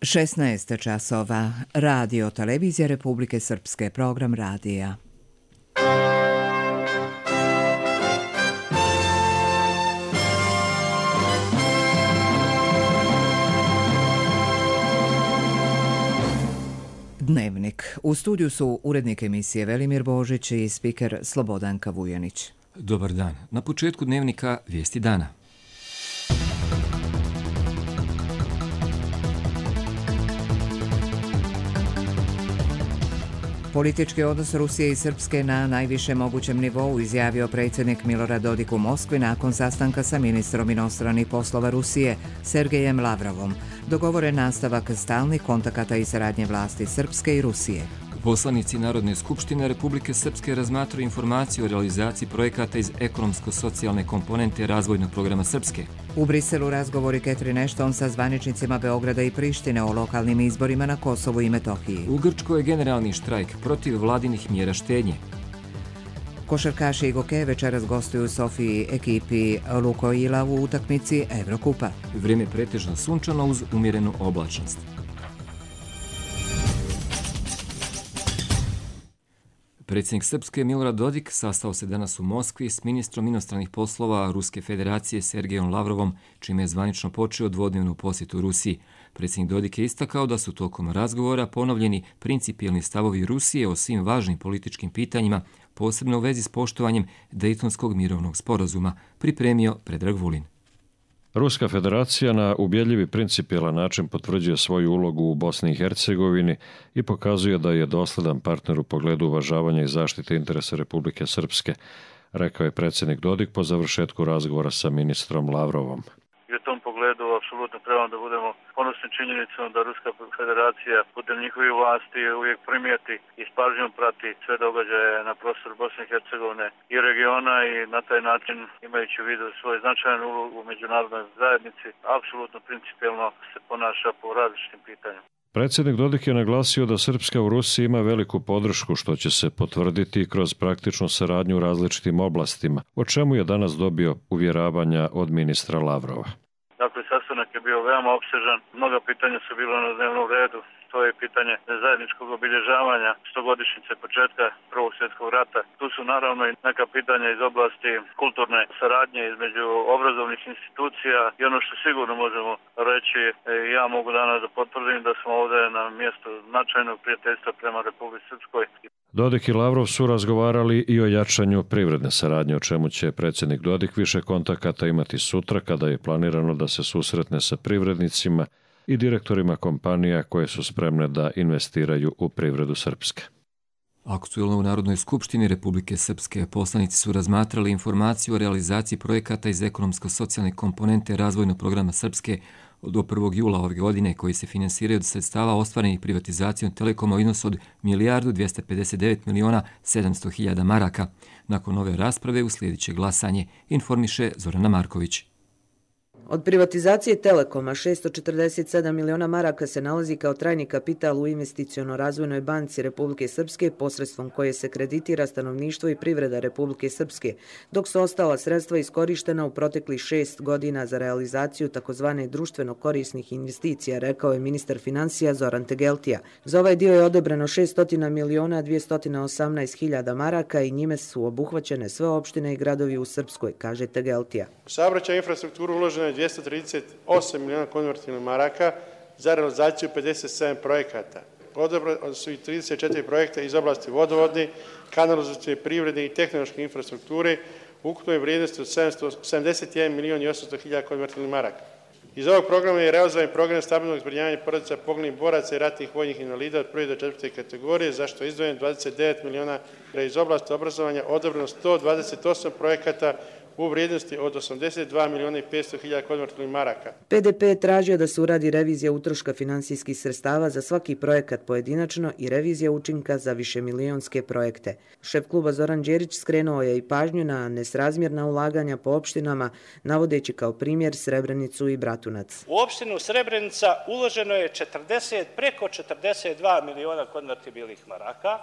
16 časova. Radio Televizija Republike Srpske. Program radija. Dnevnik. U studiju su urednik emisije Velimir Božić i spiker Slobodanka Vujanić. Dobar dan. Na početku dnevnika vijesti dana. Politički odnos Rusije i Srpske na najvišem mogućem nivou izjavio predsjednik Milorad Dodik u Moskvi nakon sastanka sa ministrom inostranih poslova Rusije Sergejem Lavrovom. Dogovoren nastavak stalnih kontakata i saradnje vlasti Srpske i Rusije. Poslanici Narodne skupštine Republike Srpske razmatraju informaciju o realizaciji projekata iz ekonomsko-socijalne komponente razvojnog programa Srpske. U Briselu razgovori Catherine Ashton sa zvaničnicima Beograda i Prištine o lokalnim izborima na Kosovu i Metohiji. U Grčkoj je generalni štrajk protiv vladinih mjera štednje. Košarkaši Igoke večeras gostuju u Sofiji ekipi Lukoila u utakmici Evrokupa. Vrijeme pretežno sunčano uz umjerenu oblačnost. Predsjednik Srpske Milorad Dodik sastao se danas u Moskvi s ministrom inostranih poslova Ruske federacije Sergejom Lavrovom, čime je zvanično počeo dvodnevnu posjetu Rusiji. Predsjednik Dodik je istakao da su tokom razgovora ponovljeni principijelni stavovi Rusije o svim važnim političkim pitanjima, posebno u vezi s poštovanjem Dejtonskog mirovnog sporazuma, pripremio Predrag Vulin. Ruska federacija na ubjedljivi principijelan način potvrđuje svoju ulogu u Bosni i Hercegovini i pokazuje da je dosledan partner u pogledu uvažavanja i zaštite interesa Republike Srpske, rekao je predsjednik Dodik po završetku razgovora sa ministrom Lavrovom. I u tom pogledu apsolutno trebamo da budemo ponosni činjenicom da Ruska federacija putem njihovih vlasti uvijek primijeti i s pažnjom prati sve događaje na prostoru Bosne i Hercegovine i regiona i na taj način, imajući u vidu svoj značajan ulogu u međunarodnoj zajednici, apsolutno principijelno se ponaša po različitim pitanjima. Predsjednik Dodik je naglasio da Srpska u Rusiji ima veliku podršku što će se potvrditi kroz praktičnu saradnju u različitim oblastima, o čemu je danas dobio uvjeravanja od ministra Lavrova. Dakle, sastanak je bio veoma opsežan, mnoga pitanja su bila na dnevnom redu. To je pitanje zajedničkog obilježavanja 100-godišnjice početka Prvog svjetskog rata. Tu su naravno i neka pitanja iz oblasti kulturne saradnje između obrazovnih institucija i ono što sigurno možemo reći, ja mogu danas da potvrdim da smo ovdje na mjestu značajnog prijateljstva prema Republici Srpskoj. Dodik i Lavrov su razgovarali i o jačanju privredne saradnje, o čemu će predsjednik Dodik više kontakata imati sutra kada je planirano da se susretne sa privrednicima i direktorima kompanija koje su spremne da investiraju u privredu Srpske. Aktuelno u Narodnoj skupštini Republike Srpske poslanici su razmatrali informaciju o realizaciji projekata iz ekonomsko-socijalne komponente razvojnog programa Srpske do 1. jula ove godine koji se finansiraju od sredstava ostvarenih privatizacijom Telekoma u iznosu od 1.259.700.000 maraka. Nakon ove rasprave uslijedit će glasanje, informiše Zorana Marković. Od privatizacije Telekoma 647 miliona maraka se nalazi kao trajni kapital u investiciono-razvojnoj banci Republike Srpske, posredstvom koje se kreditira stanovništvo i privreda Republike Srpske, dok su ostala sredstva iskorištena u proteklih 6 godina za realizaciju takozvane društveno korisnih investicija, rekao je ministar financija Zoran Tegeltija. Za ovaj dio je odobreno 600.218.000 maraka i njime su obuhvaćene sve opštine i gradovi u Srpskoj, kaže Tegeltija. U saobraćajnu infrastrukturu uloženo je 238 miliona konvertibilnih maraka za realizaciju 57 projekata. Odobreno su i 34 projekta iz oblasti vodovodne, kanalizacijske, privredne i tehnološke infrastrukture u ukupnoj vrijednosti od 71.800.000 konvertibilnih maraka. Iz ovog programa je realizovan program stabilnog zbrinjavanja porodica poginulih boraca i ratnih vojnih invalida od 1. do 4. kategorije, za što je izdvojeno 29 miliona iz oblasti obrazovanja, odobreno 128 projekata u vrijednosti od 82.500.000 konvertibilnih maraka. PDP je tražio da se uradi revizija utroška finansijskih sredstava za svaki projekat pojedinačno i revizija učinka za višemilijonske projekte. Šef kluba Zoran Đerić skrenuo je i pažnju na nesrazmjerna ulaganja po opštinama, navodeći kao primjer Srebrenicu i Bratunac. U opštinu Srebrenica uloženo je preko 42 miliona konvertibilnih maraka,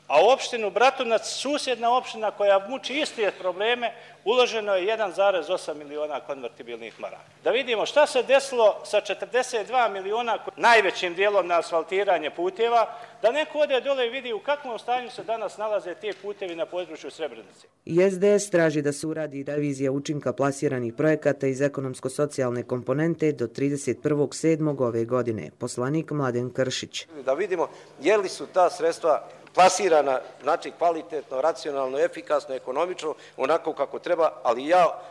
A u opštinu Bratunac, susjedna opština koja muči iste probleme, uloženo je 1,8 miliona konvertibilnih maraka. Da vidimo šta se desilo sa 42 miliona, najvećim dijelom na asfaltiranje puteva, da neko ode dole i vidi u kakvom stanju se danas nalaze te putevi na području Srebrenice. I SDS traži da se uradi revizija učinka plasiranih projekata iz ekonomsko-socijalne komponente do 31.7. ove godine. Poslanik Mladen Kršić. Da vidimo je li su ta sredstva plasirana, znači kvalitetno, racionalno, efikasno, ekonomično, onako kako treba, ali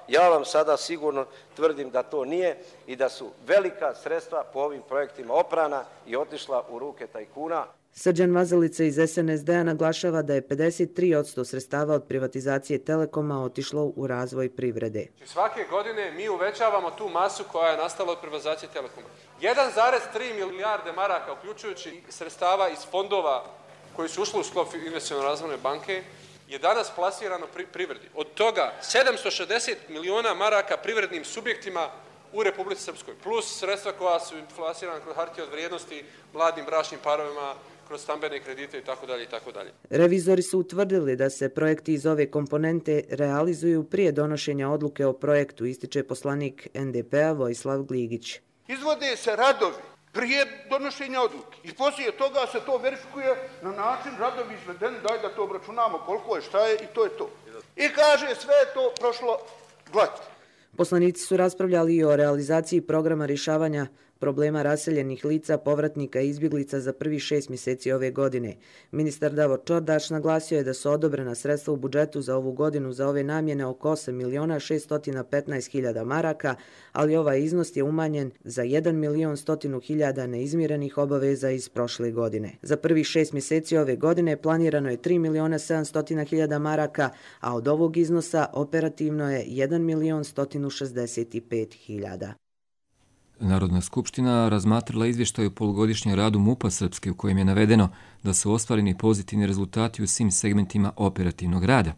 ja vam sada sigurno tvrdim da to nije i da su velika sredstva po ovim projektima oprana i otišla u ruke tajkuna. Srđan Vazelica iz SNSD-a naglašava da je 53% sredstava od privatizacije Telekoma otišlo u razvoj privrede. Svake godine mi uvećavamo tu masu koja je nastala od privatizacije Telekoma. 1,3 milijarde maraka, uključujući sredstava iz fondova koji su ušli u sklop Investiciono razvojne banke, je danas plasirano privredi. Od toga 760 miliona maraka privrednim subjektima u Republici Srpskoj, plus sredstva koja su plasirana kroz hartije od vrijednosti mladim bračnim parovima, kroz stambene kredite itd. itd. Revizori su utvrdili da se projekti iz ove komponente realizuju prije donošenja odluke o projektu, ističe poslanik NDP-a Vojislav Gligić. Izvode se radovi prije donošenja odluke i poslije toga se to verifikuje na način radovi izvedeni, daj da to obračunamo koliko je, šta je i to je to. I kaže sve je to prošlo glatko. Poslanici su raspravljali i o realizaciji programa rješavanja problema raseljenih lica, povratnika i izbjeglica za prvih 6 mjeseci ove godine. Ministar Davor Čordaš naglasio je da su odobrena sredstva u budžetu za ovu godinu za ove namjene oko 8.615.000 maraka, ali ovaj iznos je umanjen za 1.100.000 neizmirenih obaveza iz prošle godine. Za prvih 6 mjeseci ove godine planirano je 3.700.000 maraka, a od ovog iznosa operativno je 1.165.000. Narodna skupština razmatrala izvještaj o polugodišnjem radu MUP-a Srpske u kojem je navedeno da su ostvareni pozitivni rezultati u svim segmentima operativnog rada.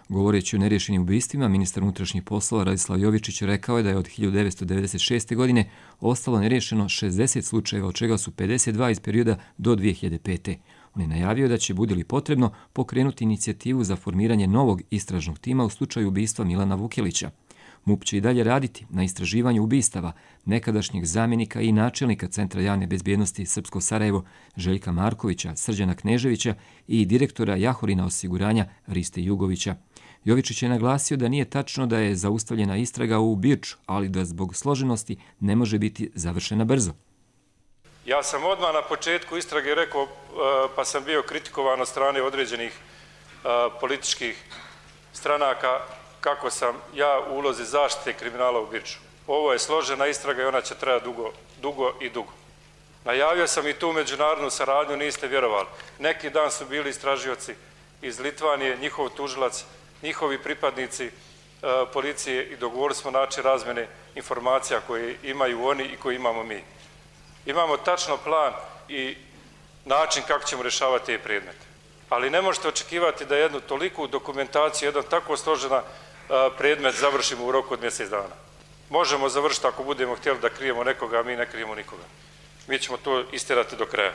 Govoreći o neriješenim ubistvima, ministar unutrašnjih poslova Radislav Jovičić rekao je da je od 1996. godine ostalo neriješeno 60 slučajeva, od čega su 52 iz perioda do 2005. On je najavio da će, bude li potrebno, pokrenuti inicijativu za formiranje novog istražnog tima u slučaju ubistva Milana Vukelića. MUP će i dalje raditi na istraživanju ubistava nekadašnjeg zamjenika i načelnika Centra javne bezbjednosti Srpsko Sarajevo Željka Markovića, Srđana Kneževića i direktora Jahorina osiguranja Riste Jugovića. Jovičić je naglasio da nije tačno da je zaustavljena istraga u Birču, ali da zbog složenosti ne može biti završena brzo. Ja sam odmah na početku istrage rekao, pa sam bio kritikovan od strane određenih političkih stranaka, kako sam ja u ulozi zaštite kriminala u Birču. Ovo je složena istraga i ona će trajati dugo i dugo. Najavio sam i tu međunarodnu saradnju, niste vjerovali. Neki dan su bili istražioci iz Litvanije, njihov tužilac, njihovi pripadnici policije i dogovorili smo način razmjene informacija koje imaju oni i koje imamo mi. Imamo tačno plan i način kako ćemo rješavati te predmete. Ali ne možete očekivati da jednu toliku dokumentaciju, jedan tako složena predmet završimo u roku od mjesec dana. Možemo završiti ako budemo htjeli da krijemo nekoga, a mi ne krijemo nikoga. Mi ćemo to istjerati do kraja.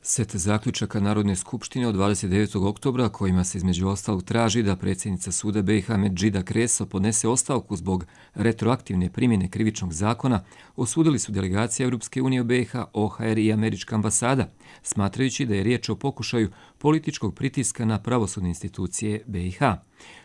Set zaključaka Narodne skupštine od 29. oktobra, kojima se između ostalog traži da predsjednica suda BiH Medžida Kreso podnese ostavku zbog retroaktivne primjene krivičnog zakona, osudili su delegacija Europske unije u BiH, OHR i američka ambasada, smatrajući da je riječ o pokušaju političkog pritiska na pravosudne institucije BiH.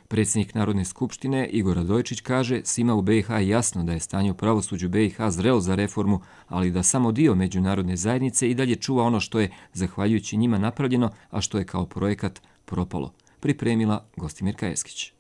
Predsjednik Narodne skupštine Igor Radojičić kaže svima u BiH je jasno da je stanje u pravosuđu BiH zrelo za reformu, ali da samo dio međunarodne zajednice i dalje čuva ono što je zahvaljujući njima napravljeno, a što je kao projekat propalo. Pripremila Gostimirka Eskić.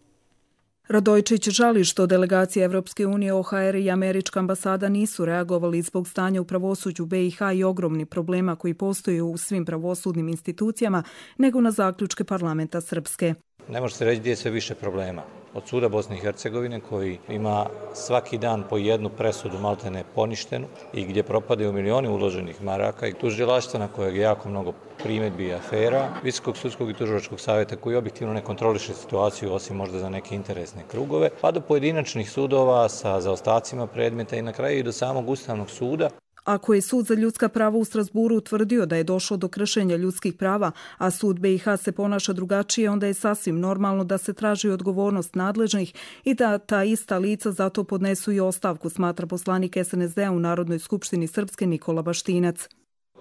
Radojičić žali što delegacije Evropske unije, OHR i američka ambasada nisu reagovali zbog stanja u pravosuđu BiH i ogromni problema koji postoje u svim pravosudnim institucijama, nego na zaključke parlamenta Srpske. Ne može se reći gdje je sve više problema. Od suda Bosne i Hercegovine koji ima svaki dan po jednu presudu maltene poništenu i gdje propadaju milioni uloženih maraka i tužilaštva na kojeg je jako mnogo primjedbi i afera, Visokog sudskog i tužilačkog savjeta koji objektivno ne kontroliše situaciju osim možda za neke interesne krugove, pa do pojedinačnih sudova sa zaostacima predmeta i na kraju i do samog Ustavnog suda. Ako je Sud za ljudska prava u Strasburu utvrdio da je došlo do kršenja ljudskih prava, a Sud BiH se ponaša drugačije, onda je sasvim normalno da se traži odgovornost nadležnih i da ta ista lica zato podnesu i ostavku, smatra poslanik SNSD-a u Narodnoj skupštini Srpske Nikola Baštinac.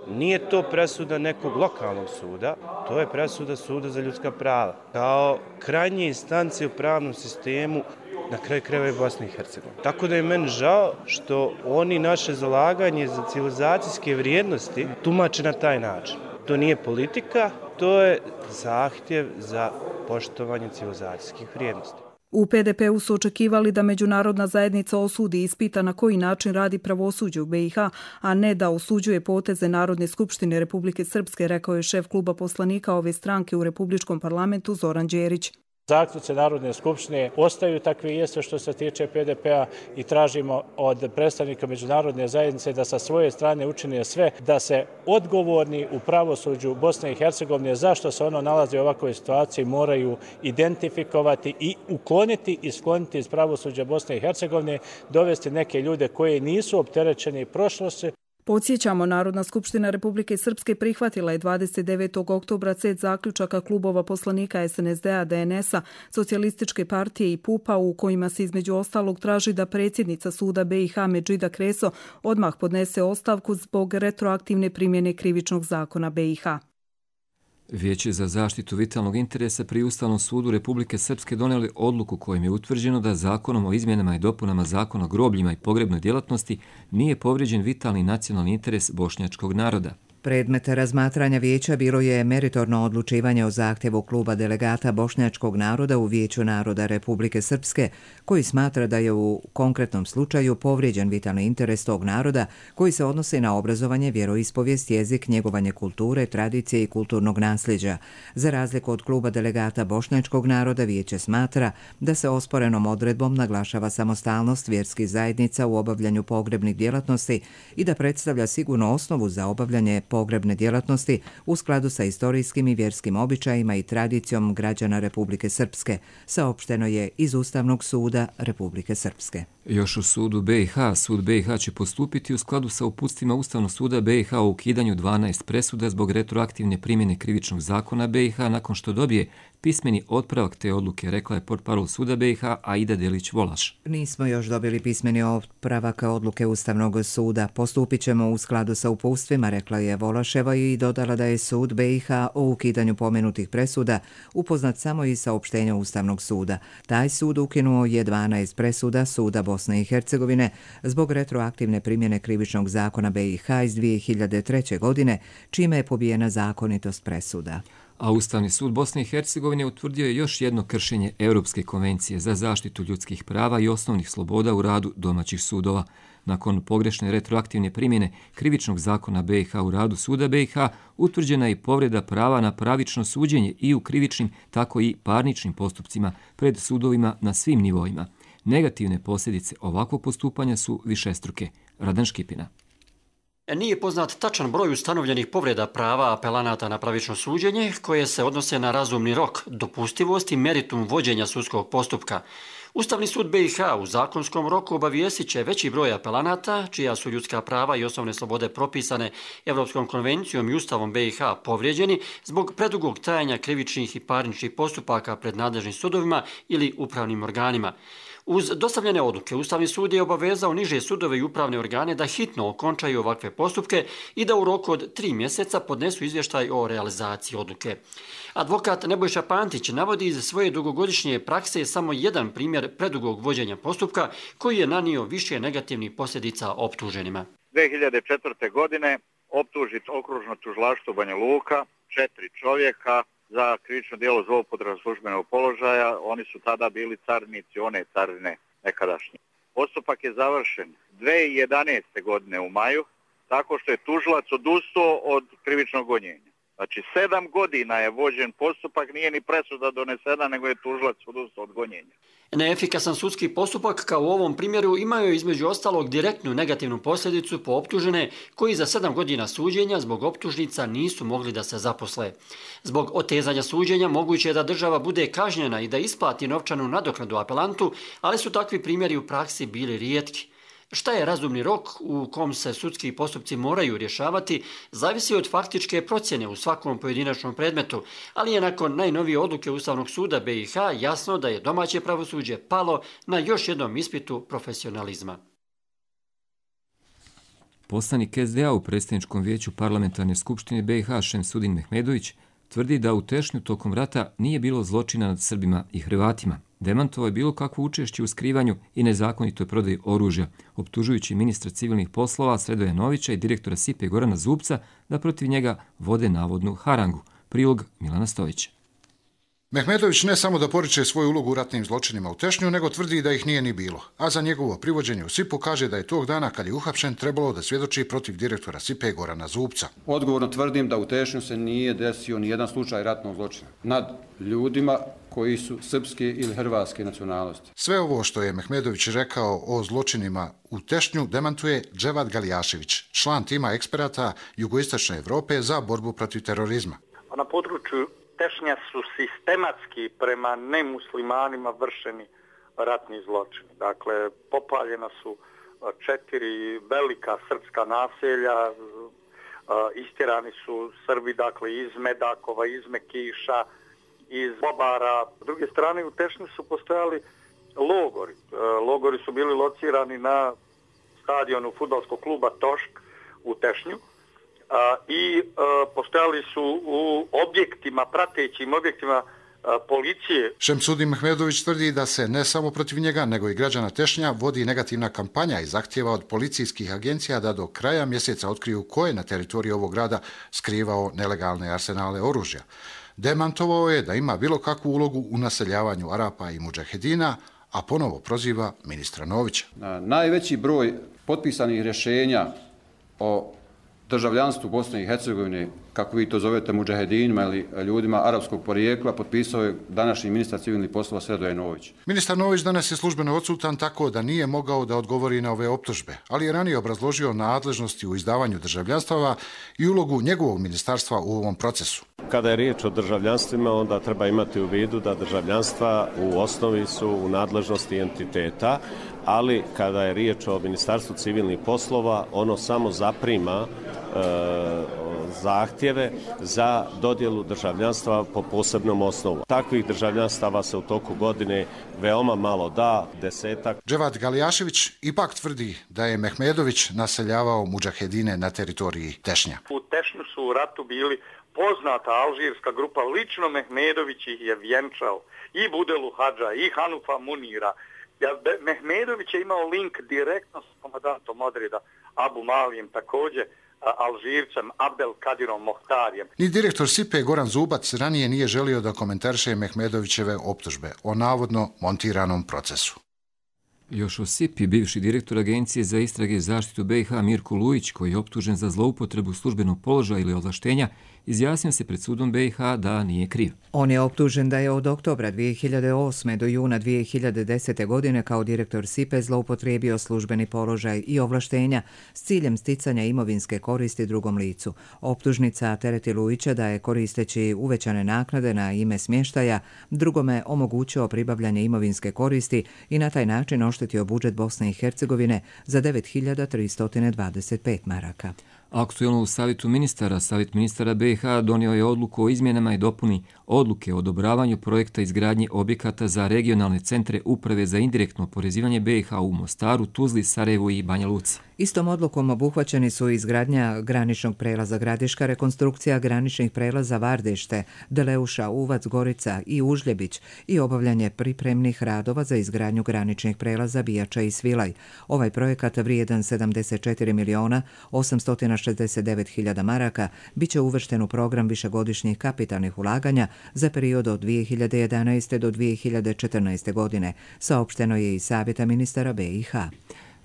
Nije to presuda nekog lokalnog suda, to je presuda Suda za ljudska prava. Kao krajnje instance u pravnom sistemu, na kraju krajeva i Bosne i Hercegovine. Tako da je meni žao što oni naše zalaganje za civilizacijske vrijednosti tumače na taj način. To nije politika, to je zahtjev za poštovanje civilizacijskih vrijednosti. U PDP-u su očekivali da međunarodna zajednica osudi i ispita na koji način radi pravosuđe u BiH, a ne da osuđuje poteze Narodne skupštine Republike Srpske, rekao je šef kluba poslanika ove stranke u Republičkom parlamentu Zoran Đerić. Zaključci Narodne skupštine ostaju takvi jeste što se tiče PDP-a i tražimo od predstavnika međunarodne zajednice da sa svoje strane učine sve da se odgovorni u pravosuđu Bosne i Hercegovine zašto se ono nalazi u ovakvoj situaciji moraju identifikovati i ukloniti i skloniti iz pravosuđa Bosne i Hercegovine, dovesti neke ljude koji nisu opterećeni prošlosti. Podsjećamo, Narodna skupština Republike Srpske prihvatila je 29. oktobra set zaključaka klubova poslanika SNSD-a, DNS-a, Socijalističke partije i PUP-a u kojima se između ostalog traži da predsjednica suda BiH Medžida Kreso odmah podnese ostavku zbog retroaktivne primjene krivičnog zakona BiH. Vijeće za zaštitu vitalnog interesa pri Ustavnom sudu Republike Srpske donijeli odluku kojim je utvrđeno da zakonom o izmjenama i dopunama zakona o grobljima i pogrebnoj djelatnosti nije povrijeđen vitalni nacionalni interes bošnjačkog naroda. Predmet razmatranja vijeća bilo je meritorno odlučivanje o zahtjevu kluba delegata bošnjačkog naroda u Vijeću naroda Republike Srpske, koji smatra da je u konkretnom slučaju povrijeđen vitalni interes tog naroda koji se odnosi na obrazovanje, vjeroispovijest, jezik, njegovanje kulture, tradicije i kulturnog nasljeđa. Za razliku od kluba delegata bošnjačkog naroda, vijeće smatra da se osporenom odredbom naglašava samostalnost vjerskih zajednica u obavljanju pogrebnih djelatnosti i da predstavlja sigurnu osnovu za obavljanje pogrebne djelatnosti u skladu sa istorijskim i vjerskim običajima i tradicijom građana Republike Srpske, saopšteno je iz Ustavnog suda Republike Srpske. Još u sudu BiH, sud BiH će postupiti u skladu sa uputstvima Ustavnog suda BiH o ukidanju 12 presuda zbog retroaktivne primjene krivičnog zakona BiH nakon što dobije pismeni otpravak te odluke, rekla je portparol suda BiH Aida Delić-Volaš. Nismo još dobili pismeni otpravak odluke Ustavnog suda. Postupit ćemo u skladu sa upustvima, rekla je Volaševa i dodala da je sud BiH o ukidanju pomenutih presuda upoznat samo iz saopštenja Ustavnog suda. Taj sud ukinuo je 12 presuda suda Bosne i Hercegovine zbog retroaktivne primjene krivičnog zakona BiH iz 2003. godine, čime je pobijena zakonitost presuda. A Ustavni sud Bosne i Hercegovine utvrdio je još jedno kršenje Europske konvencije za zaštitu ljudskih prava i osnovnih sloboda u radu domaćih sudova. Nakon pogrešne retroaktivne primjene krivičnog zakona BiH u radu suda BiH, utvrđena je i povreda prava na pravično suđenje i u krivičnim, tako i parničnim postupcima pred sudovima na svim nivoima. Negativne posljedice ovakvog postupanja su višestruke. Radan Škipina. Nije poznat tačan broj ustanovljenih povreda prava apelanata na pravično suđenje koje se odnose na razumni rok, dopustivost i meritum vođenja sudskog postupka. Ustavni sud BiH u zakonskom roku obavijestit će veći broj apelanata, čija su ljudska prava i osnovne slobode propisane Evropskom konvencijom i Ustavom BiH povrijeđeni zbog predugog trajanja krivičnih i parničnih postupaka pred nadležnim sudovima ili upravnim organima. Uz dostavljene odluke, Ustavni sud je obavezao niže sudove i upravne organe da hitno okončaju ovakve postupke i da u roku od 3 mjeseca podnesu izvještaj o realizaciji odluke. Advokat Nebojša Pantić navodi iz svoje dugogodišnje prakse samo jedan primjer predugog vođenja postupka koji je nanio više negativnih posljedica optuženima. 2004. godine optužit okružno tužilaštvo Banja Luka, 4 čovjeka za krivično djelo zloupotrebe službenog položaja. Oni su tada bili carinici one carine nekadašnje. Postupak je završen 2011. godine u maju, tako što je tužilac odustao od krivičnog gonjenja. Znači 7 godina je vođen postupak, nije ni presuda donesena, nego je tužilac odustao od gonjenja. Neefikasan sudski postupak, kao u ovom primjeru, imaju između ostalog direktnu negativnu posljedicu po optužene koji za 7 godina suđenja zbog optužnica nisu mogli da se zaposle. Zbog otezanja suđenja moguće je da država bude kažnjena i da isplati novčanu nadoknadu apelantu, ali su takvi primjeri u praksi bili rijetki. Šta je razumni rok u kom se sudski postupci moraju rješavati, zavisi od faktičke procjene u svakom pojedinačnom predmetu, ali je nakon najnovije odluke Ustavnog suda BiH jasno da je domaće pravosuđe palo na još jednom ispitu profesionalizma. Poslanik SDA u predsjedničkom vijeću parlamentarne skupštine BiH Šemsudin Mehmedović tvrdi da u Tešnju tokom rata nije bilo zločina nad Srbima i Hrvatima. Demantovao je bilo kakvo učešće u skrivanju i nezakonitoj prodaji oružja, optužujući ministra civilnih poslova Sredoja Novića i direktora SIPE Gorana Zubca da protiv njega vode navodnu harangu. Prilog Milana Stojića. Mehmedović ne samo da poriče svoju ulogu u ratnim zločinima u Tešnju, nego tvrdi da ih nije ni bilo. A za njegovo privođenje u SIP-u kaže da je tog dana kad je uhapšen trebalo da svjedoči protiv direktora SIP-e Gorana Zubca. Odgovorno tvrdim da u Tešnju se nije desio ni jedan slučaj ratnog zločina nad ljudima koji su srpske ili hrvatske nacionalnosti. Sve ovo što je Mehmedović rekao o zločinima u Tešnju demantuje Dževad Galijašević, član tima eksperata Jugoistočne Evrope za borbu protiv terorizma. Na području Tešnja su sistematski prema nemuslimanima vršeni ratni zločini. Dakle, popaljena su 4 velika srpska naselja, istjerani su Srbi, dakle, iz Medakova, iz Mekiša, iz Bobara. S druge strane, u Tešnju su postojali logori. Logori su bili locirani na stadionu fudbalskog kluba Tošk u Tešnju. I postojali su u objektima, pratećim objektima policije. Šemsudin Mehmedović tvrdi da se ne samo protiv njega, nego i građana Tešnja vodi negativna kampanja i zahtjeva od policijskih agencija da do kraja mjeseca otkriju ko je na teritoriji ovog grada skrivao nelegalne arsenale oružja. Demantovao je da ima bilo kakvu ulogu u naseljavanju Arapa i mudžahedina, a ponovo proziva ministra Novića. Najveći broj potpisanih rješenja o državljanstvu Bosne i Hercegovine, kako vi to zovete mudžahedinima ili ljudima arapskog porijekla, potpisao je današnji ministar civilnih poslova Sredoje Nović. Ministar Nović danas je službeno odsutan, tako da nije mogao da odgovori na ove optužbe, ali je ranije obrazložio nadležnosti u izdavanju državljanstava i ulogu njegovog ministarstva u ovom procesu. Kada je riječ o državljanstvima, onda treba imati u vidu da državljanstva u osnovi su u nadležnosti entiteta, ali kada je riječ o Ministarstvu civilnih poslova, ono samo zaprima zahtjeve za dodjelu državljanstva po posebnom osnovu. Takvih državljanstava se u toku godine veoma malo da, 10-ak. Dževad Galijašević ipak tvrdi da je Mehmedović naseljavao mudžahedine na teritoriji Tešnja. U Tešnju su u ratu bili poznata alžirska grupa, lično Mehmedović ih je vjenčao, i Budelu Hadža, i Hanufa Munira. Mehmedović je imao link direktno s komandantom odreda Abu Malijem, također Alžircem Abdel Kadirom Mohtarijem. Ni direktor SIPE Goran Zubac ranije nije želio da komentariše Mehmedovićeve optužbe o navodno montiranom procesu. Još o SIPI, bivši direktor Agencije za istrage i zaštitu BiH Mirko Lujić, koji je optužen za zloupotrebu službenog položaja ili ovlaštenja, izjasnio se pred sudom BiH da nije kriv. On je optužen da je od oktobra 2008. do juna 2010. godine kao direktor SIPE zloupotrijebio službeni položaj i ovlaštenja s ciljem sticanja imovinske koristi drugom licu. Optužnica tereti Lujića da je, koristeći uvećane naknade na ime smještaja, drugome omogućio pribavljanje imovinske koristi i na taj način oštetio budžet Bosne i Hercegovine za 9.325 maraka. Aktuelno u Savjetu ministara, Savjet ministara BiH donio je odluku o izmjenama i dopuni odluke o odobravanju projekta izgradnje objekata za regionalne centre uprave za indirektno oporezivanje BiH u Mostaru, Tuzli, Sarajevu i Banja Luci. Istom odlukom obuhvaćeni su izgradnja graničnog prelaza Gradiška, rekonstrukcija graničnih prelaza Vardešte, Deleuša, Uvac, Gorica i Užljebić i obavljanje pripremnih radova za izgradnju graničnih prelaza Bijača i Svilaj. Ovaj projekat vrijedan 74.869.000 maraka bit će uvršten u program višegodišnjih kapitalnih ulaganja za period od 2011. do 2014. godine, saopšteno je iz Savjeta ministara BiH.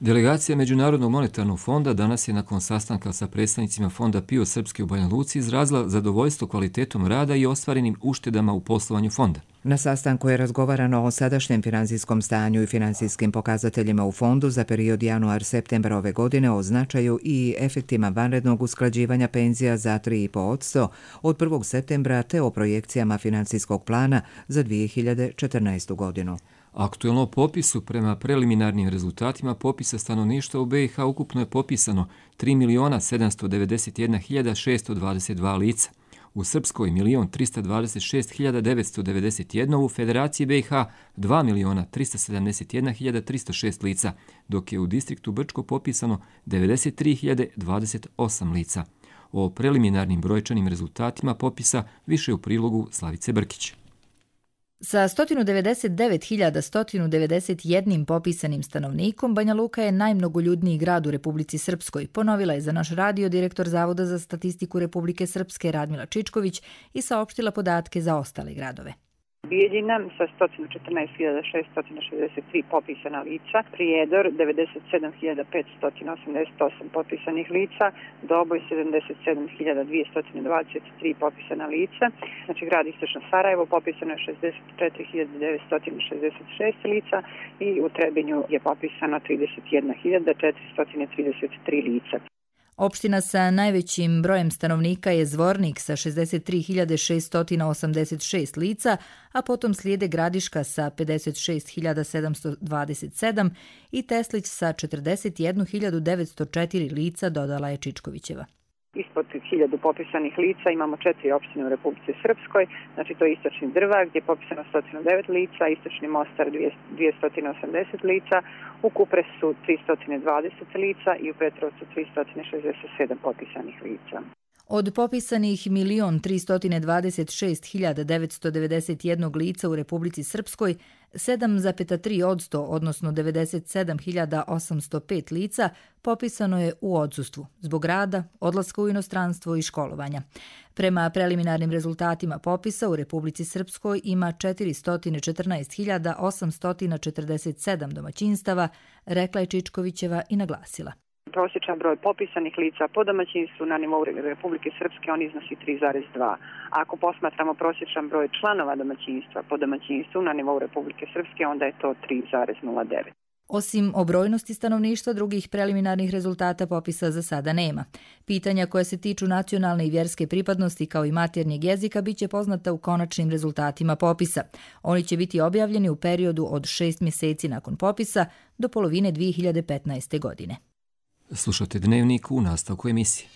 Delegacija Međunarodnog monetarnog fonda danas je nakon sastanka sa predstavnicima fonda PIO Srpske u Banja Luci izrazila zadovoljstvo kvalitetom rada i ostvarenim uštedama u poslovanju fonda. Na sastanku je razgovarano o sadašnjem financijskom stanju i financijskim pokazateljima u fondu za period januar-septembar ove godine, o značaju i efektima vanrednog usklađivanja penzija za 3,5% od 1. septembra te o projekcijama financijskog plana za 2014. godinu. Aktuelno popisu prema preliminarnim rezultatima popisa stanovništva u BiH ukupno je popisano 3.791.622 lica. U Srpskoj 1.326.991, u Federaciji BiH 2.371.306 lica, dok je u distriktu Brčko popisano 93.028 lica. O preliminarnim brojčanim rezultatima popisa više u prilogu Slavice Brkić. Sa 199.191 popisanim stanovnikom, Banja Luka je najmnogoljudniji grad u Republici Srpskoj, ponovila je za naš radio direktor Zavoda za statistiku Republike Srpske Radmila Čičković i saopštila podatke za ostale gradove. Bijeljina sa 114.663 popisana lica, Prijedor 97.588 popisanih lica, Doboj 77.223 popisana lica, znači grad Istočno Sarajevo popisano je 64.966 lica i u Trebinju je popisano 31.433 lica. Opština sa najvećim brojem stanovnika je Zvornik sa 63.686 lica, a potom slijede Gradiška sa 56.727 i Teslić sa 41.904 lica, dodala je Čičkovićeva. Ispod 1000 popisanih lica imamo 4 opštine u Republici Srpskoj, znači to je Istočni Drvar gdje je popisano 109 lica, Istočni Mostar 280 lica, u Kupresu 320 lica i u Petrovcu 367 popisanih lica. Od popisanih 1.326.991 lica u Republici Srpskoj, 7,3%, odnosno 97.805 lica, popisano je u odsustvu, zbog rada, odlaska u inostranstvo i školovanja. Prema preliminarnim rezultatima popisa u Republici Srpskoj ima 414.847 domaćinstava, rekla je Čičkovićeva i naglasila. Prosječan broj popisanih lica po domaćinstvu na nivou Republike Srpske on iznosi 3,2. Ako posmatramo prosječan broj članova domaćinstva po domaćinstvu na nivou Republike Srpske, onda je to 3,09. Osim o brojnosti stanovništva, drugih preliminarnih rezultata popisa za sada nema. Pitanja koja se tiču nacionalne i vjerske pripadnosti kao i maternjeg jezika biće poznata u konačnim rezultatima popisa. Oni će biti objavljeni u periodu od 6 mjeseci nakon popisa do polovine 2015. godine. Slušate Dnevnik u nastavku emisije.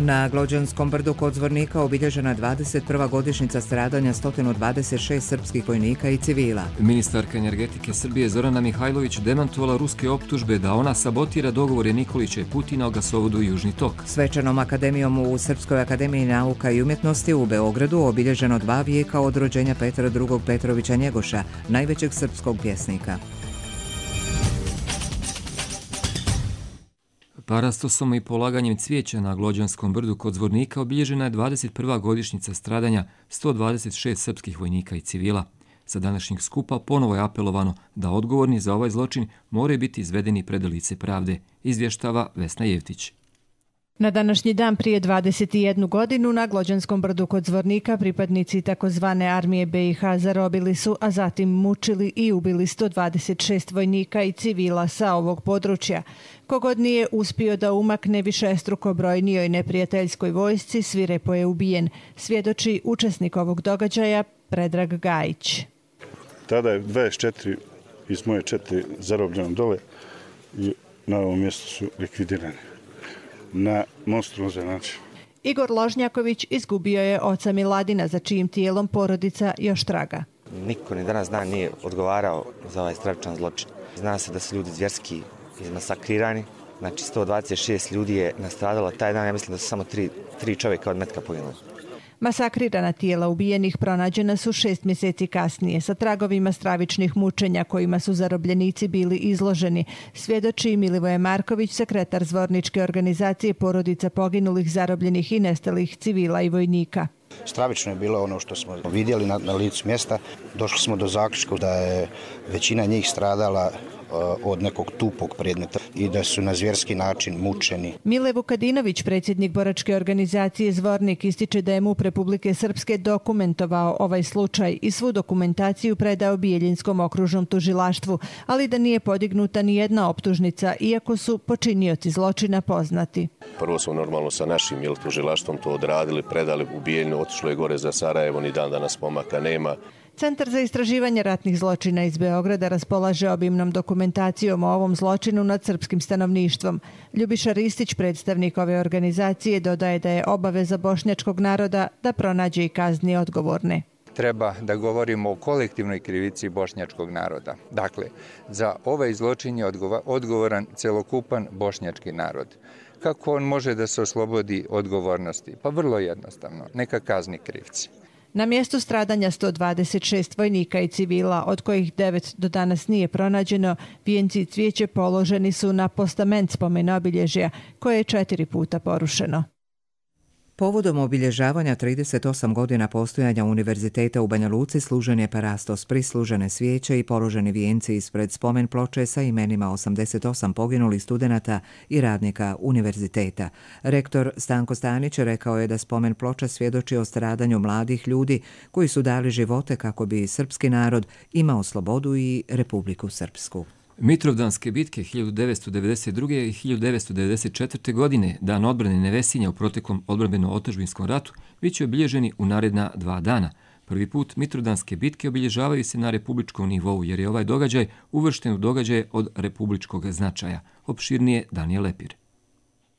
Na Glođanskom brdu kod Zvornika obilježena 21. godišnjica stradanja 126 srpskih vojnika i civila. Ministarka energetike Srbije Zorana Mihajlović demantovala ruske optužbe da ona sabotira dogovore Nikolića i Putina o gasovodu Južni tok. Svečanom akademijom u Srpskoj akademiji nauka i umjetnosti u Beogradu obilježeno 2 vijeka od rođenja Petra II. Petrovića Njegoša, najvećeg srpskog pjesnika. Parastosom i polaganjem cvijeća na Glođanskom brdu kod Zvornika obilježena je 21. godišnjica stradanja 126 srpskih vojnika i civila. Sa današnjeg skupa ponovo je apelovano da odgovorni za ovaj zločin moraju biti izvedeni pred lice pravde, izvještava Vesna Jevtić. Na današnji dan prije 21 godinu na Glođanskom brdu kod Zvornika pripadnici takozvane armije BiH zarobili su, a zatim mučili i ubili 126 vojnika i civila sa ovog područja. Kogod nije uspio da umakne višestruko brojnijoj neprijateljskoj vojsci, svirepo je ubijen, svjedoči učesnik ovog događaja Predrag Gajić. Tada je 24 iz moje 4 zarobljeno dole i na ovom mjestu su likvidirani na monstruozan način. Igor Ložnjaković izgubio je oca Miladina, za čijim tijelom porodica još traga. Niko ni danas dan nije odgovarao za ovaj stravičan zločin. Zna se da su ljudi zvjerski izmasakrirani. Znači 126 ljudi je nastradalo taj dan. Ja mislim da su samo 3 čovjeka od metka poginuli. Masakrirana tijela ubijenih pronađena su 6 mjeseci kasnije sa tragovima stravičnih mučenja kojima su zarobljenici bili izloženi, svjedoči Milivoje Marković, sekretar Zvorničke organizacije porodica poginulih, zarobljenih i nestalih civila i vojnika. Stravično je bilo ono što smo vidjeli na licu mjesta. Došli smo do zaključka da je većina njih stradala od nekog tupog predmeta i da su na zvjerski način mučeni. Mile Vukadinović, predsjednik boračke organizacije Zvornik, ističe da je MUP Republike Srpske dokumentovao ovaj slučaj i svu dokumentaciju predao Bijeljinskom okružnom tužilaštvu, ali da nije podignuta ni jedna optužnica, iako su počinioci zločina poznati. Prvo smo normalno sa našim tužilaštvom to odradili, predali u Bijeljinu, otišlo je gore za Sarajevo, ni dan danas pomaka nema. Centar za istraživanje ratnih zločina iz Beograda raspolaže obimnom dokumentacijom o ovom zločinu nad srpskim stanovništvom. Ljubiša Ristić, predstavnik ove organizacije, dodaje da je obaveza bošnjačkog naroda da pronađe i kazni odgovorne. Treba da govorimo o kolektivnoj krivici bošnjačkog naroda. Dakle, za ovaj zločin je odgovoran celokupan bošnjački narod. Kako on može da se oslobodi odgovornosti? Pa vrlo jednostavno, neka kazni krivci. Na mjestu stradanja 126 vojnika i civila, od kojih 9 do danas nije pronađeno, vijenci i cvijeće položeni su na postament spomen obilježja, koje je 4 puta porušeno. Povodom obilježavanja 38 godina postojanja Univerziteta u Banja Luci služen je parastos, prislužene svijeće i položeni vijenci ispred spomen ploče sa imenima 88 poginulih studenata i radnika univerziteta. Rektor Stanko Stanić rekao je da spomen ploča svjedoči o stradanju mladih ljudi koji su dali živote kako bi srpski narod imao slobodu i Republiku Srpsku. Mitrovdanske bitke 1992. i 1994. godine, dan odbrane Nevesinja u proteklom odbrambeno-otadžbinskom ratu, bit će obilježeni u naredna 2 dana. Prvi put Mitrovdanske bitke obilježavaju se na republičkom nivou, jer je ovaj događaj uvršten u događaje od republičkog značaja. Opširnije Danijel Lepir.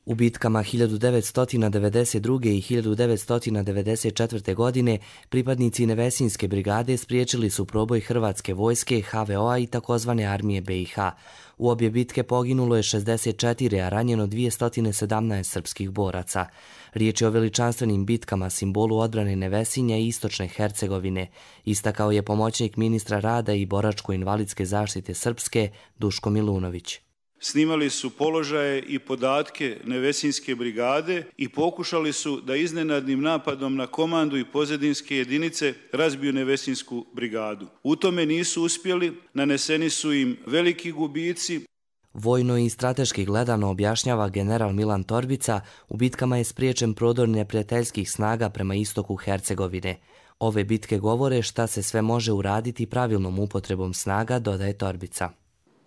U bitkama 1992. i 1994. godine pripadnici Nevesinjske brigade spriječili su proboj Hrvatske vojske, HVO-a i takozvane armije BiH. U obje bitke poginulo je 64, a ranjeno 217 srpskih boraca. Riječ je o veličanstvenim bitkama, simbolu odbrane Nevesinja i Istočne Hercegovine, istakao je pomoćnik ministra rada i boračko-invalidske zaštite Srpske Duško Milunović. Snimali su položaje i podatke Nevesinjske brigade i pokušali su da iznenadnim napadom na komandu i pozadinske jedinice razbiju Nevesinjsku brigadu. U tome nisu uspjeli, naneseni su im veliki gubici. Vojno i strateški gledano, objašnjava general Milan Torbica, u bitkama je spriječen prodor neprijateljskih snaga prema istoku Hercegovine. Ove bitke govore šta se sve može uraditi pravilnom upotrebom snaga, dodaje Torbica.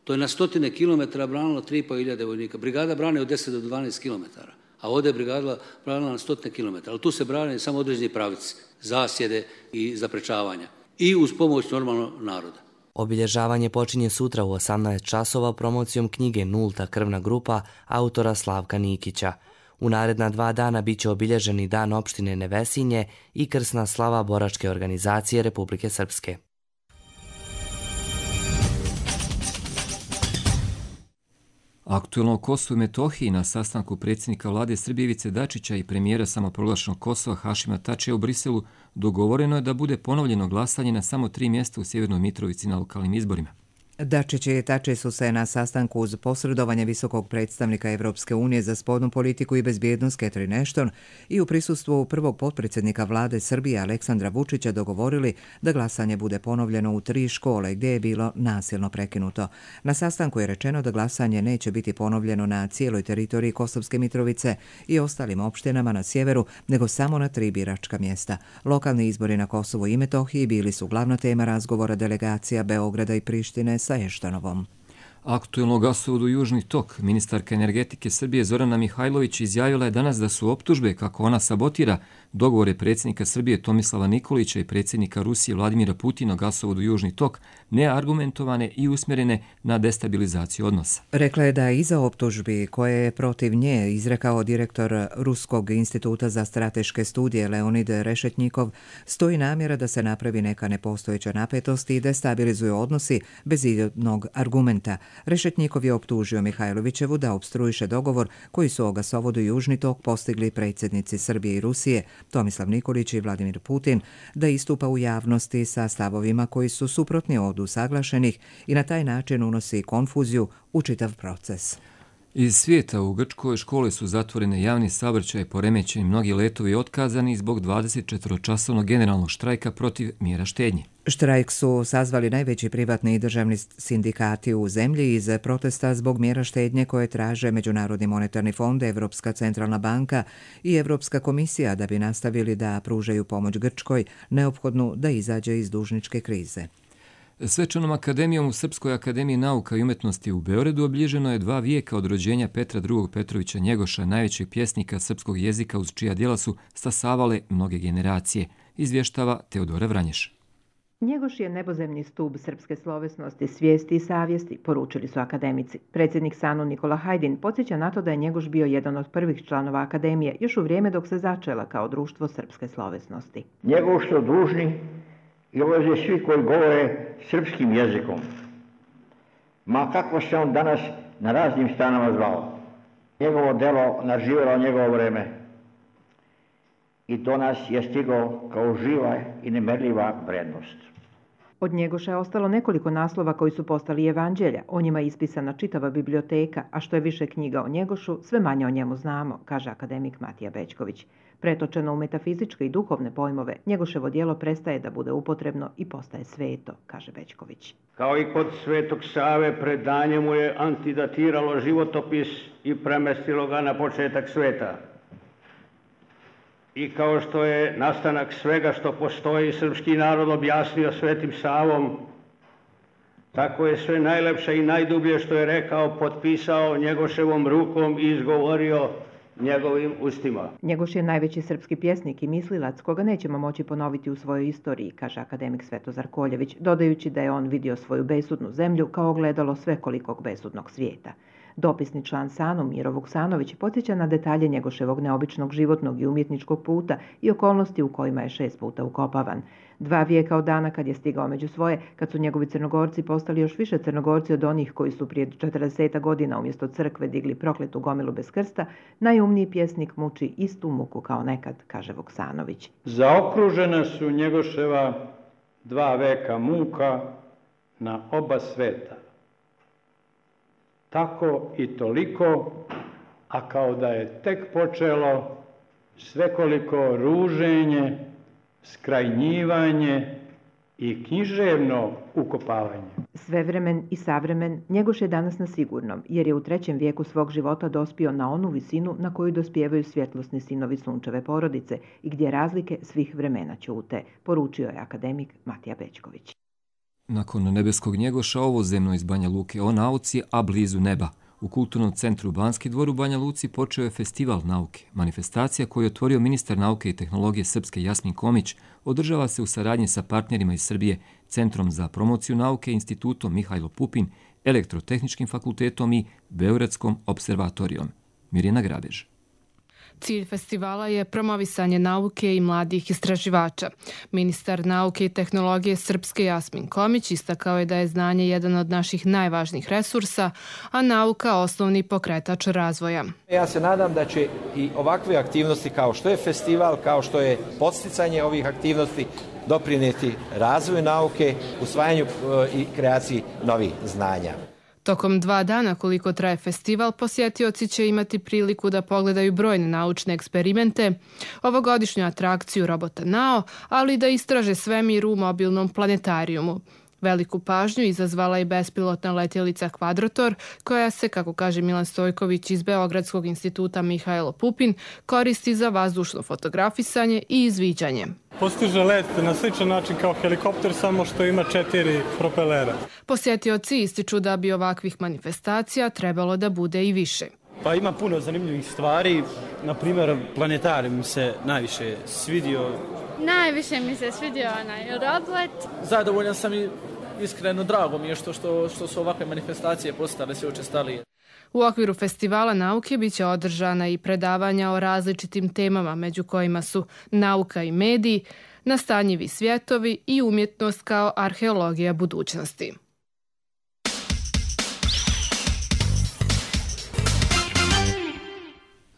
To je na 100 kilometara branilo 3.500 vojnika. Brigada brane od 10 do 12 kilometara, a ovdje je brigada branila na 100 kilometara. Ali tu se brane samo određeni pravici, zasjede i zaprečavanja. I uz pomoć normalno naroda. Obilježavanje počinje sutra u 18 časova promocijom knjige Nulta krvna grupa autora Slavka Nikića. U naredna 2 dana bit će obilježeni dan opštine Nevesinje i krsna slava boračke organizacije Republike Srpske. Aktuelno o Kosovu i Metohiji na sastanku predsjednika vlade Srbije Ivice Dačića i premijera samoproglašenog Kosova Hašima Tačija u Briselu dogovoreno je da bude ponovljeno glasanje na samo 3 mjesta u Sjevernoj Mitrovici na lokalnim izborima. Dačić i Tači su se na sastanku uz posredovanje visokog predstavnika Evropske unije za spoljnu politiku i bezbjednost Catherine Ashton i u prisustvu prvog potpredsjednika vlade Srbije Aleksandra Vučića dogovorili da glasanje bude ponovljeno u 3 škole gdje je bilo nasilno prekinuto. Na sastanku je rečeno da glasanje neće biti ponovljeno na cijeloj teritoriji Kosovske Mitrovice i ostalim opštinama na sjeveru, nego samo na 3 biračka mjesta. Lokalni izbori na Kosovu i Metohiji bili su glavna tema razgovora delegacija Beograda i Prištine sa Eštanovom. Aktuelno gasovodu Južni tok, ministarka energetike Srbije Zorana Mihajlović izjavila je danas da su optužbe kako ona sabotira dogovore predsjednika Srbije Tomislava Nikolića i predsjednika Rusije Vladimira Putina o gasovodu Južni tok neargumentovane i usmjerene na destabilizaciju odnosa. Rekla je da iza optužbi koje je protiv nje izrekao direktor Ruskog instituta za strateške studije Leonid Rešetnjikov stoji namjera da se napravi neka nepostojeća napetost i destabilizuju odnosi bez jednog argumenta. Rešetnjikov je optužio Mihajlovićevu da opstruiše dogovor koji su o gasovodu Južni tok postigli predsjednici Srbije i Rusije, Tomislav Nikolić i Vladimir Putin, da istupa u javnosti sa stavovima koji su suprotni od usaglašenih i na taj način unosi konfuziju u čitav proces. Iz svijeta u Grčkoj škole su zatvorene, javni saobraćaj poremećeni, mnogi letovi otkazani zbog 24-časovnog generalnog štrajka protiv mjera štednje. Štrajk su sazvali najveći privatni i državni sindikati u zemlji iz protesta zbog mjera štednje koje traže Međunarodni monetarni fond, Evropska centralna banka i Evropska komisija da bi nastavili da pružaju pomoć Grčkoj, neophodnu da izađe iz dužničke krize. Svečanom akademijom u Srpskoj akademiji nauka i umjetnosti u Beogradu obilježeno je 2 vijeka od rođenja Petra II. Petrovića Njegoša, najvećeg pjesnika srpskog jezika uz čija djela su stasavale mnoge generacije, izvještava Teodora Vranješ. Njegoš je nebozemni stub srpske slovesnosti, svijesti i savjesti, poručili su akademici. Predsjednik SANU Nikola Hajdin podsjeća na to da je Njegoš bio jedan od prvih članova akademije, još u vrijeme dok se začela kao društvo srpske slovesnosti. Njegoš su dužni i obaveze svi koji govore srpskim jezikom. Ma kako se on danas na raznim stranama zvao. Njegovo delo naživjelo njegovo vreme i do nas je stiglo kao živa i nemerljiva vrednost. Od Njegoša je ostalo nekoliko naslova koji su postali evanđelja, o njima je ispisana čitava biblioteka, a što je više knjiga o Njegošu, sve manje o njemu znamo, kaže akademik Matija Bećković. Pretočeno u metafizičke i duhovne pojmove, Njegoševo djelo prestaje da bude upotrebno i postaje sveto, kaže Bećković. Kao i kod Svetog Save, predanje mu je antidatiralo životopis i premestilo ga na početak sveta. I kao što je nastanak svega što postoji srpski narod objasnio Svetim Savom, tako je sve najlepše i najdublje što je rekao potpisao Njegoševom rukom i izgovorio njegovim ustima. Njegoš je najveći srpski pjesnik i mislilac koga nećemo moći ponoviti u svojoj istoriji, kaže akademik Svetozar Koljević, dodajući da je on vidio svoju besudnu zemlju kao ogledalo svekolikog besudnog svijeta. Dopisni član SANU Miro Vuksanović podsjeća na detalje Njegoševog neobičnog životnog i umjetničkog puta i okolnosti u kojima je 6 puta ukopavan. 2 vijeka od dana kad je stigao među svoje, kad su njegovi Crnogorci postali još više Crnogorci od onih koji su prije 40 godina umjesto crkve digli prokletu gomilu bez krsta, najumniji pjesnik muči istu muku kao nekad, kaže Vuksanović. Zaokružena su Njegoševa 2 veka muka na oba sveta. Tako i toliko, a kao da je tek počelo svekoliko ruženje, skrajnjivanje i književno ukopavanje. Svevremen i savremen, Njegoš je danas na sigurnom, jer je u 3. vijeku svog života dospio na onu visinu na koju dospijevaju svjetlosni sinovi sunčeve porodice i gdje razlike svih vremena ćute, poručio je akademik Matija Bećković. Nakon nebeskog Njegoša ovozemno iz Banja Luke o nauci, a blizu neba. U Kulturnom centru Banski dvor u Banja Luci počeo je Festival nauke. Manifestacija koju je otvorio ministar nauke i tehnologije Srpske Jasmin Komić održava se u saradnji sa partnerima iz Srbije, Centrom za promociju nauke, Institutom Mihajlo Pupin, Elektrotehničkim fakultetom i Beogradskom observatorijom. Mirjana Grabež. Cilj festivala je promovisanje nauke i mladih istraživača. Ministar nauke i tehnologije Srpske Jasmin Komić istakao je da je znanje jedan od naših najvažnijih resursa, a nauka osnovni pokretač razvoja. Ja se nadam da će i ovakve aktivnosti kao što je festival, kao što je podsticanje ovih aktivnosti doprinijeti razvoju nauke, usvajanju i kreaciji novih znanja. Tokom 2 dana koliko traje festival, posjetioci će imati priliku da pogledaju brojne naučne eksperimente, ovogodišnju atrakciju robota Nao, ali i da istraže svemir u mobilnom planetarijumu. Veliku pažnju izazvala je bespilotna letjelica Quadrator, koja se, kako kaže Milan Stojković iz Beogradskog instituta Mihajlo Pupin, koristi za vazdušno fotografisanje i izviđanje. Postiže let na sličan način kao helikopter, samo što ima 4 propelera. Posjetioci ističu da bi ovakvih manifestacija trebalo da bude i više. Pa ima puno zanimljivih stvari, na primjer planetarijum se najviše svidio. Najviše mi se svidio onaj robot. Zadovoljan sam i iskreno drago mi je što su ovakve manifestacije postale sve učestalije. U okviru festivala nauke biće održana i predavanja o različitim temama, među kojima su nauka i mediji, nastanjivi svjetovi i umjetnost kao arheologija budućnosti.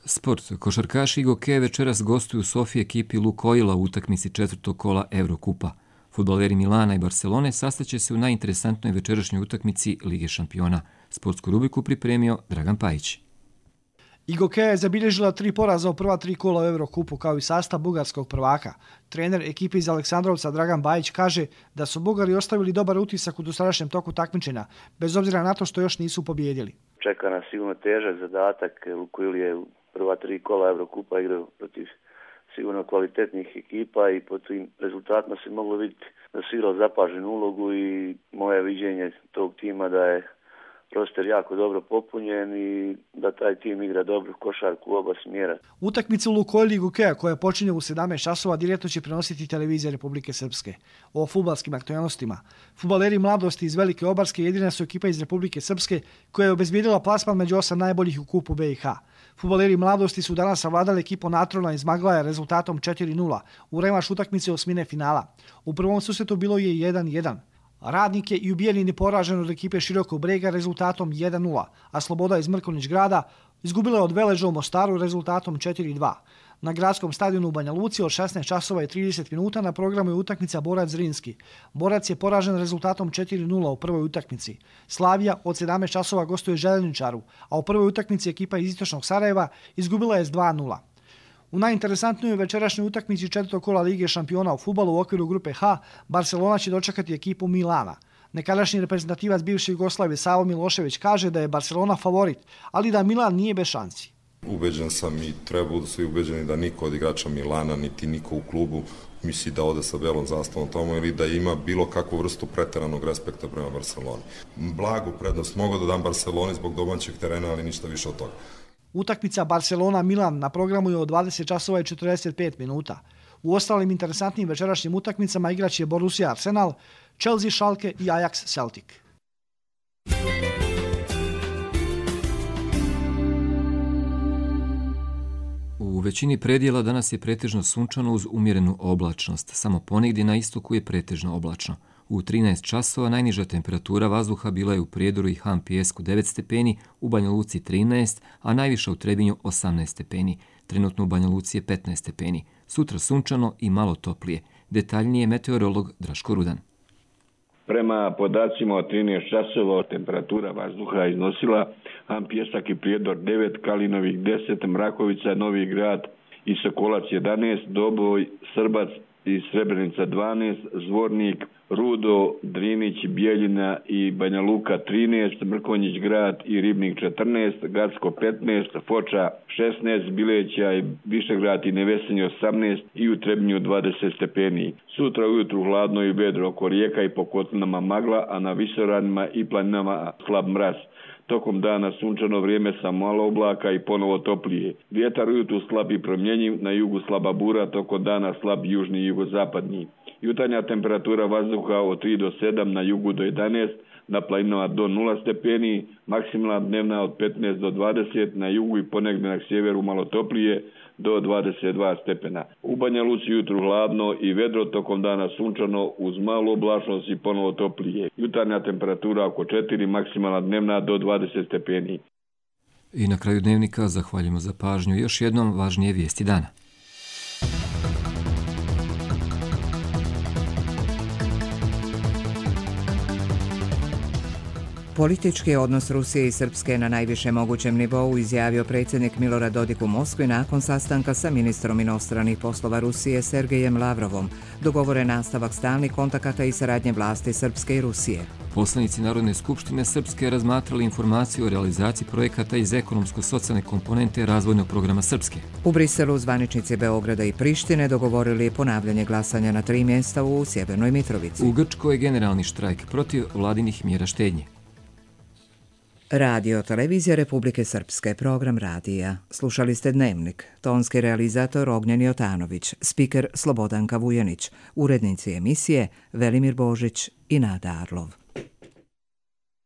Sport. Košarkaši i gokeje večeras gostuju u Sofiji ekipi Lukoila u utakmici 4. kola Evrokupa. Fudbaleri Milana i Barcelone sastaće se u najinteresantnoj večerašnjoj utakmici Lige šampiona. Sportsku rubriku pripremio Dragan Pajić. Igokeja je zabilježila 3 poraza u prva 3 kola u Eurokupu kao i sastav bugarskog prvaka. Trener ekipe iz Aleksandrovca Dragan Bajić kaže da su Bugari ostavili dobar utisak u dosadašnjem toku takmičenja, bez obzira na to što još nisu pobijedili. Čeka nas sigurno težak zadatak, Lukoil je u prva 3 kola Eurokupa igrao protiv sigurno kvalitetnih ekipa i po tim rezultatima se moglo vidjeti da su igrali zapaženu ulogu i moje viđenje tog tima da je roster jako dobro popunjen i da taj tim igra dobru košarku u oba smjera. Utakmicu Lukoil i Igokeja koja počinje u 17 časova direktno će prenositi televizija Republike Srpske. O fudbalskim aktualnostima. Fudbaleri Mladosti iz Velike Obarske jedina su ekipa iz Republike Srpske koja je obezbijedila plasman među 8 najboljih u kupu BiH. Fudbaleri Mladosti su danas savladali ekipu Natrona iz Maglaja rezultatom 4:0 u revanš utakmice osmine finala. U prvom susretu bilo je 1:1. Radnik je i u Bijeljini poražen od ekipe Širokog Brega rezultatom 1:0, a Sloboda iz Mrkonjić Grada izgubila je od Veleža u Mostaru rezultatom 4:2. Na gradskom stadionu u Banja Luci od 16 časova i 30 minuta na programu je utakmica Borac Zrinski. Borac je poražen rezultatom 4:0 u prvoj utakmici. Slavija od 17 časova gostuje Željezničaru, a u prvoj utakmici ekipa iz Istočnog Sarajeva izgubila je s 2:0. U najinteresantnijoj večerašnjoj utakmici 4. kola Lige šampiona u fudbalu u okviru grupe H, Barcelona će dočekati ekipu Milana. Nekadašnji reprezentativac bivše Jugoslavije Savo Milošević kaže da je Barcelona favorit, ali da Milan nije bez šansi. Ubeđen sam i treba budu svi ubeđeni da niko od igrača Milana, niti niko u klubu misli da ode sa belom zastavom tamo ili da ima bilo kakvu vrstu preteranog respekta prema Barceloni. Blagu prednost mogu da dam Barceloni zbog domaćeg terena, ali ništa više od toga. Utakmica Barcelona-Milan na programu je od 20 časova i 45 minuta. U ostalim interesantnim večerašnjim utakmicama igraće Borussia Arsenal, Chelsea Schalke i Ajax Celtic. U većini predjela danas je pretežno sunčano uz umjerenu oblačnost. Samo ponegdje na istoku je pretežno oblačno. U 13 časova najniža temperatura vazduha bila je u Prijedoru i Han Pijesku 9 stepeni, u Banja Luci 13, a najviša u Trebinju 18 stepeni. Trenutno u Banja Luci je 15 stepeni. Sutra sunčano i malo toplije. Detaljnije meteorolog Draško Rudan. Prema podacima od 13 časova temperatura vazduha iznosila Han Pijesak i Prijedor 9, Kalinovik 10, Mrakovica, Novi Grad i Sokolac 11, Doboj, Srbac i Srebrenica 12, Zvornik, Rudo, Drinić, Bijeljina i Banja Luka 13, Mrkonjić Grad i Ribnik 14, Gacko 15, Foča 16, Bileća i Višegrad i Nevesinje 18 i u Trebinju 20 stepeni. Sutra ujutru hladno i vedro oko rijeka i po kotlinama magla, a na visoranima i planinama slab mraz. Tokom dana sunčano vrijeme sa malo oblaka i ponovo toplije. Vjetar ujutru slab i promjenjiv, na jugu slaba bura, tokom dana slab južni i jugozapadni. Jutarnja temperatura vazduha od 3 do 7, na jugu do 11, na planinama do 0 stepeni, maksimalna dnevna od 15 do 20, na jugu i ponegdje na sjeveru malo toplije, do 22 stepena. U Banja Luci jutru hladno i vedro, tokom dana sunčano uz malu oblačnost i ponovo toplije. Jutarnja temperatura oko 4, maksimalna dnevna do 20 stepeni. I na kraju dnevnika zahvaljujemo za pažnju. Još jednom važnije vijesti dana. Politički odnos Rusije i Srpske na najvišem mogućem nivou izjavio predsjednik Milorad Dodik u Moskvi nakon sastanka sa ministrom inostranih poslova Rusije Sergejem Lavrovom. Dogovoren nastavak stalnih kontakata i saradnje vlasti Srpske i Rusije. Poslanici Narodne skupštine Srpske razmatrali informaciju o realizaciji projekata iz ekonomsko-socijalne komponente razvojnog programa Srpske. U Briselu zvaničnici Beograda i Prištine dogovorili ponavljanje glasanja na 3 mjesta u Sjevernoj Mitrovici. U Grčkoj je generalni štrajk protiv vladinih mjera štednje. Radio Televizija Republike Srpske, program radija. Slušali ste Dnevnik. Tonski realizator Ognjen Jotanović, spiker Slobodanka Vujanić, urednici emisije Velimir Božić i Nada Arlov.